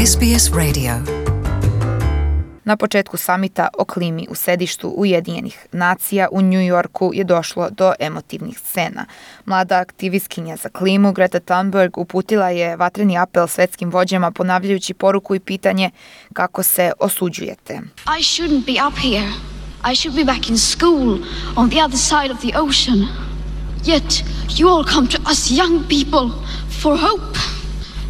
SBS Radio. Na početku samita o klimi u sedištu Ujedinjenih nacija u New Yorku je došlo do emotivnih scena. Mlada aktivistkinja za klimu Greta Thunberg uputila je vatreni apel svetskim vođama ponavljajući poruku i pitanje kako se osuđujete. I shouldn't be up here. I should be back in school on the other side of the ocean. Yet you all come to us young people for hope.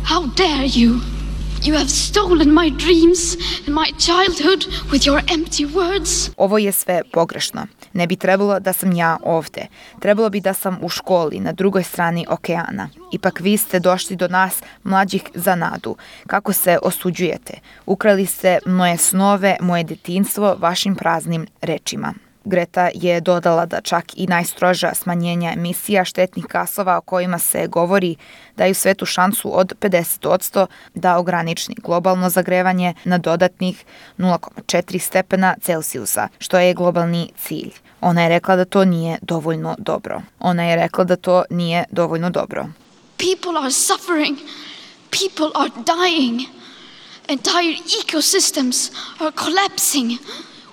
How dare you? You have stolen my dreams and my childhood with your empty words. Ovo je sve pogrešno. Ne bi trebalo da sam ja ovde. Trebalo bi da sam u školi na drugoj strani okeana. Ipak vi ste došli do nas mlađih za nadu. Kako se osuđujete? Ukrali ste moje snove, moje detinjstvo vašim praznim rečima. Greta je dodala da čak i najstroža smanjenja emisija štetnih gasova o kojima se govori daju svetu šansu od 50% da ograniči globalno zagrevanje na dodatnih 0,4 stepena Celsijusa, što je globalni cilj. Ona je rekla da to nije dovoljno dobro. People are suffering. People are dying. Entire ecosystems are collapsing.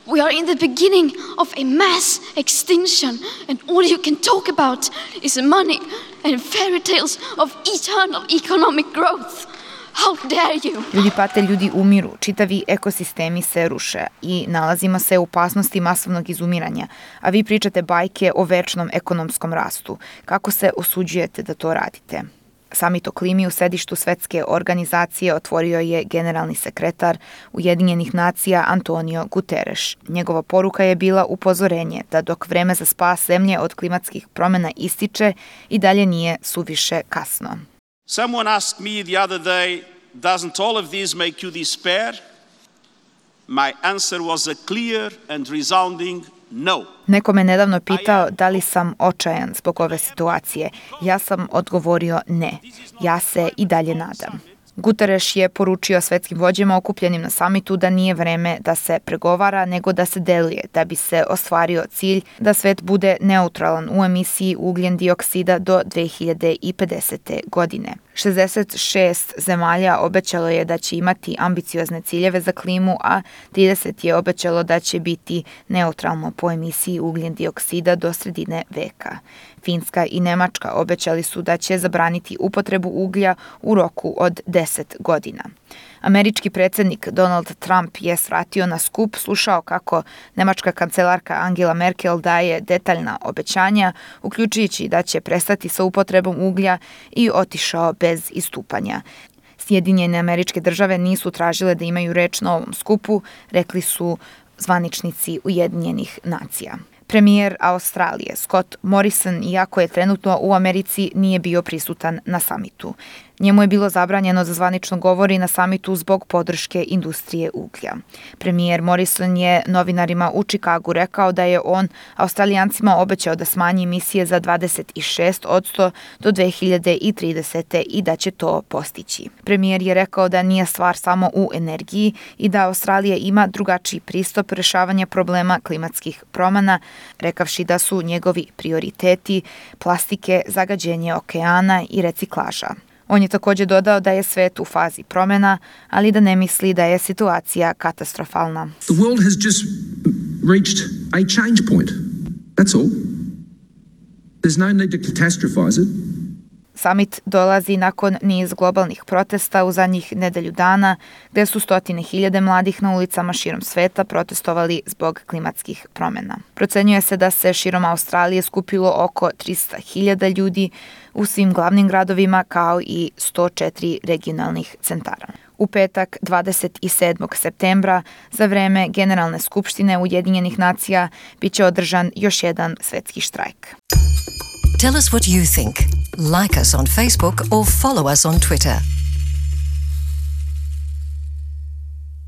We are in the beginning of a mass extinction, and all you can talk about is money and fairy tales of eternal economic growth. How dare you? Ljudi pate, ljudi umiru, čitavi ekosistemi se ruše i nalazimo se u opasnosti masovnog izumiranja, a vi pričate bajke o večnom ekonomskom rastu. Kako se osuđujete da to radite? Samit o klimi u sedištu svetske organizacije otvorio je generalni sekretar Ujedinjenih nacija Antonio Guterres. Njegova poruka je bila upozorenje da dok vreme za spas zemlje od klimatskih promjena ističe i dalje nije suviše kasno. Someone asked me the other day, doesn't all of this make you despair? My answer was a clear and resounding no. Neko me nedavno pitao da li sam očajan zbog ove situacije. Ja sam odgovorio ne. Ja se i dalje nadam. Guterres je poručio svetskim vođama okupljenim na samitu da nije vreme da se pregovara, nego da se deluje, da bi se ostvario cilj da svet bude neutralan u emisiji ugljen dioksida do 2050. godine. 66 zemalja obećalo je da će imati ambiciozne ciljeve za klimu, a 30 je obećalo da će biti neutralno po emisiji ugljen dioksida do sredine veka. Finska i Nemačka obećali su da će zabraniti upotrebu uglja u roku od 10 godina. Američki predsjednik Donald Trump je svratio na skup, slušao kako nemačka kancelarka Angela Merkel daje detaljna obećanja, uključujući da će prestati sa upotrebom uglja i otišao bez istupanja. Sjedinjene Američke Države nisu tražile da imaju reč na ovom skupu, rekli su zvaničnici Ujedinjenih nacija. Premijer Australije Scott Morrison, iako je trenutno u Americi, nije bio prisutan na samitu. Njemu je bilo zabranjeno da zvanično govori na samitu zbog podrške industrije uglja. Premijer Morrison je novinarima u Chicagu rekao da je on Australijancima obećao da smanji emisije za 26% do 2030. i da će to postići. Premijer je rekao da nije stvar samo u energiji i da Australija ima drugačiji pristup rješavanja problema klimatskih promjena, rekavši da su njegovi prioriteti plastike, zagađenje okeana i reciklaža. On je također dodao da je svet u fazi promjena, ali da ne misli da je situacija katastrofalna. The world has just reached a change point. That's all. There's no need to catastrophize it. Samit dolazi nakon niz globalnih protesta u zadnjih nedelju dana, gdje su stotine hiljade mladih na ulicama širom sveta protestovali zbog klimatskih promjena. Procenjuje se da se širom Australije skupilo oko 300.000 ljudi u svim glavnim gradovima kao i 104 regionalnih centara. U petak 27. septembra za vreme Generalne skupštine Ujedinjenih nacija bit će održan još jedan svetski štrajk. Tell us what you think. Like us on Facebook or follow us on Twitter.